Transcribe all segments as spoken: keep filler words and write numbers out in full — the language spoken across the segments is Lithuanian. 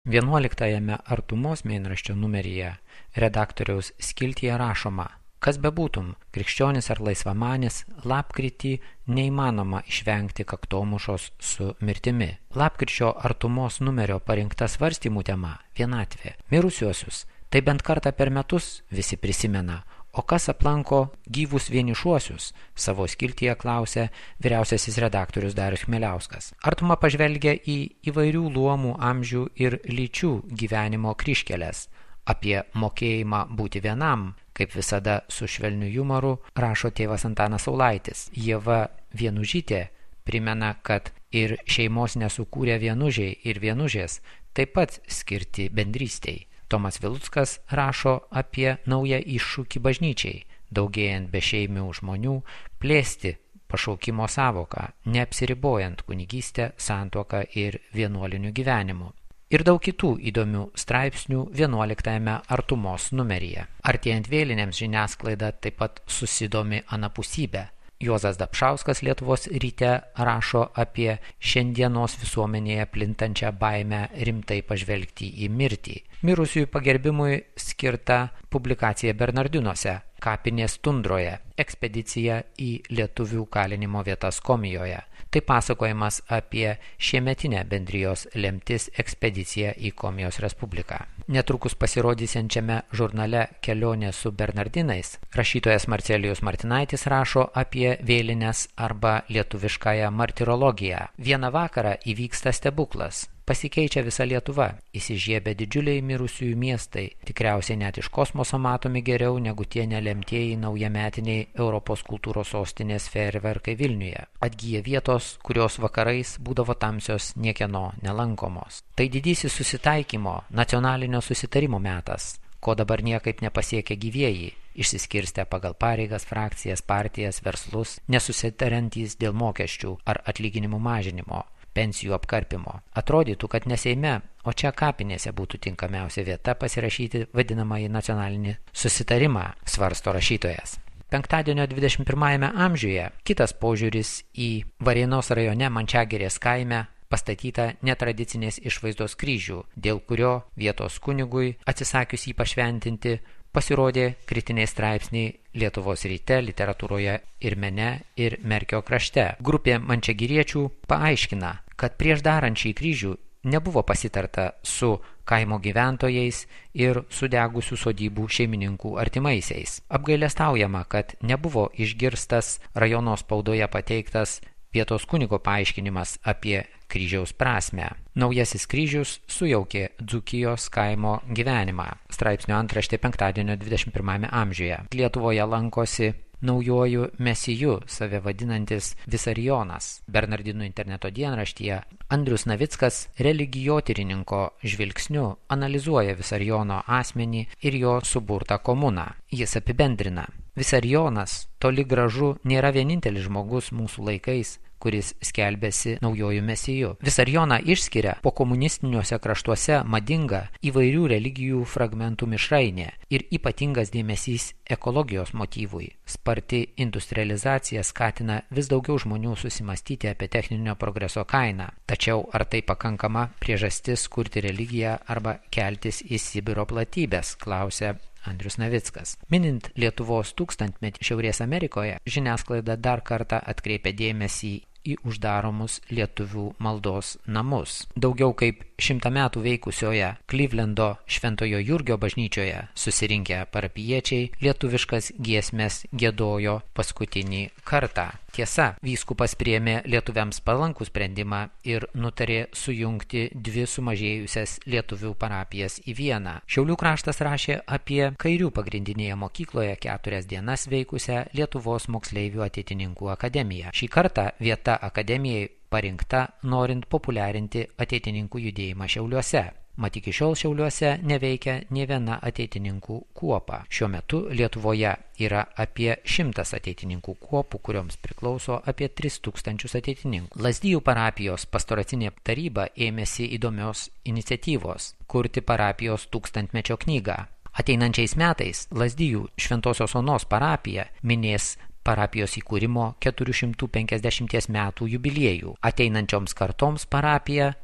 vienuoliktajame Artumos mėnraščio numeryje redaktoriaus skiltyje rašoma: kas bebūtum, krikščionis ar laisvamanis, lapkritį neįmanoma išvengti kaktomušos su mirtimi. Lapkričio Artumos numerio parinkta svarstymų tema – vienatvė. Mirusiuosius tai bent kartą per metus visi prisimena, o kas aplanko gyvus vienišuosius, savo skiltyje klausė vyriausiasis redaktorius Darius Chmieliauskas. Artuma pažvelgia į įvairių luomų, amžių ir lyčių gyvenimo kryžkeles. Apie mokėjimą būti vienam, kaip visada su švelniu jumoru, rašo tėvas Antanas Saulaitis. Ieva Vienužytė primena, kad ir šeimos nesukūrė vienužiai ir vienužės taip pat skirti bendrystei. Tomas Viluckas rašo apie naują iššūkį bažnyčiai, daugėjant bešeimių žmonių, plėsti pašaukimo savoką, neapsiribojant kunigystę, santuoką ir vienuoliniu gyvenimu. Ir daug kitų įdomių straipsnių vienuoliktajame Artumos numeryje. Artėjant vėlinėms žiniasklaida taip pat susidomi anapusybę. Juozas Dapšauskas Lietuvos ryte rašo apie šiandienos visuomenėje plintančią baimę rimtai pažvelgti į mirtį. Mirusiųjų pagerbimui skirta publikacija Bernardinuose, kapinės tundroje, ekspedicija į lietuvių kalinimo vietas Komijoje. Tai pasakojimas apie šiemetinę bendrijos lemtis ekspediciją į Komijos Respubliką. Netrukus pasirodysiančiame žurnale Kelionė su Bernardinais rašytojas Marcelijus Martinaitis rašo apie vėlines arba lietuviškąją martirologiją. Vieną vakarą įvyksta stebuklas. Pasikeičia visa Lietuva, įsižiebia didžiuliai mirusiųjų miestai, tikriausiai net iš kosmoso matomi geriau negu tie nelemtieji naujametiniai Europos kultūros sostinės fejerverkai Vilniuje. Atgyja vietos, kurios vakarais būdavo tamsios niekieno nelankomos. Tai didysis susitaikymo, nacionalinio susitarimo metas, ko dabar niekaip nepasiekia gyvieji, išsiskirstę pagal pareigas, frakcijas, partijas, verslus, nesusitariantys dėl mokesčių ar atlyginimų mažinimo, pensijų apkarpimo. Atrodytų, kad ne Seime, o čia kapinėse būtų tinkamiausia vieta pasirašyti vadinamąjį nacionalinį susitarimą, svarsto rašytojas. Penktadienio dvidešimt pirmajame amžiuje kitas požiūris į Varėnos rajone Mančiagirės kaime pastatytą netradicinės išvaizdos kryžių, dėl kurio vietos kunigui atsisakius jį pašventinti pasirodė kritiniai straipsniai Lietuvos ryte, literatūroje ir mene ir Merkio krašte. Grupė mančiagiriečių paaiškina, kad prieš darant šį kryžių nebuvo pasitarta su kaimo gyventojais ir sudegusių sodybų šeimininkų artimaisiais. Apgailestaujama, kad nebuvo išgirstas rajono spaudoje pateiktas vietos kunigo paaiškinimas apie kryžiaus prasmę. Naujasis kryžius sujaukė Dzūkijos kaimo gyvenimą. Straipsnio antraštė penktadienio dvidešimt pirmajame amžiuje. Lietuvoje lankosi naujuoju mesiju, save vadinantis Visarionas. Bernardinų interneto dienraštyje Andrius Navickas religijotyrininko žvilgsniu analizuoja Visariono asmenį ir jo suburtą komuną. Jis apibendrina: Visarionas toli gražu nėra vienintelis žmogus mūsų laikais, kuris skelbėsi naujojų mesiju. Visarioną išskiria po komunistiniuose kraštuose madinga įvairių religijų fragmentų mišrainė ir ypatingas dėmesys ekologijos motyvui. Sparti industrializacija skatina vis daugiau žmonių susimastyti apie techninio progreso kainą. Tačiau ar tai pakankama priežastis kurti religiją arba keltis į Sibiro platybės, klausia Andrius Navickas. Minint Lietuvos tūkstantmetį Šiaurės Amerikoje, žiniasklaida dar kartą atkreipia dėmesį į uždaromus lietuvių maldos namus. Daugiau kaip šimtą metų veikusioje Klivlendo Šventojo Jurgio bažnyčioje susirinkę parapijiečiai lietuviškas giesmes giedojo paskutinį kartą. Tiesa, vyskupas priėmė lietuviams palankų sprendimą ir nutarė sujungti dvi sumažėjusias lietuvių parapijas į vieną. Šiaulių kraštas rašė apie Kairių pagrindinėje mokykloje keturias dienas veikusią Lietuvos moksleivių ateitininkų akademiją. Šį kartą vieta akademijai parinkta norint populiarinti ateitininkų judėjimą Šiauliuose. Mat iki šiol Šiauliuose neveikia nė viena ateitininkų kuopa. Šiuo metu Lietuvoje yra apie šimtas ateitininkų kuopų, kurioms priklauso apie tris tūkstančius ateitininkų. Lazdijų parapijos pastoracinė taryba ėmėsi įdomios iniciatyvos – kurti parapijos tūkstantmečio knygą. Ateinančiais metais Lazdijų Šventosios Onos parapija minės parapijos įkūrimo keturių šimtų penkiasdešimties metų jubiliejų. Ateinančioms kartoms parapija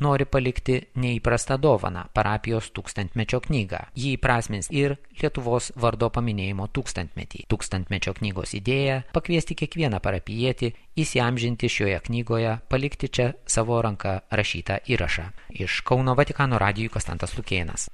nori palikti neįprastą dovaną – parapijos tūkstantmečio knygą. Jį įprasmins ir Lietuvos vardo paminėjimo tūkstantmetį. Tūkstantmečio knygos idėja – pakviesti kiekvieną parapijietį įsiamžinti šioje knygoje, palikti čia savo ranka rašytą įrašą. Iš Kauno Vatikano radijui Konstantas Lukėnas.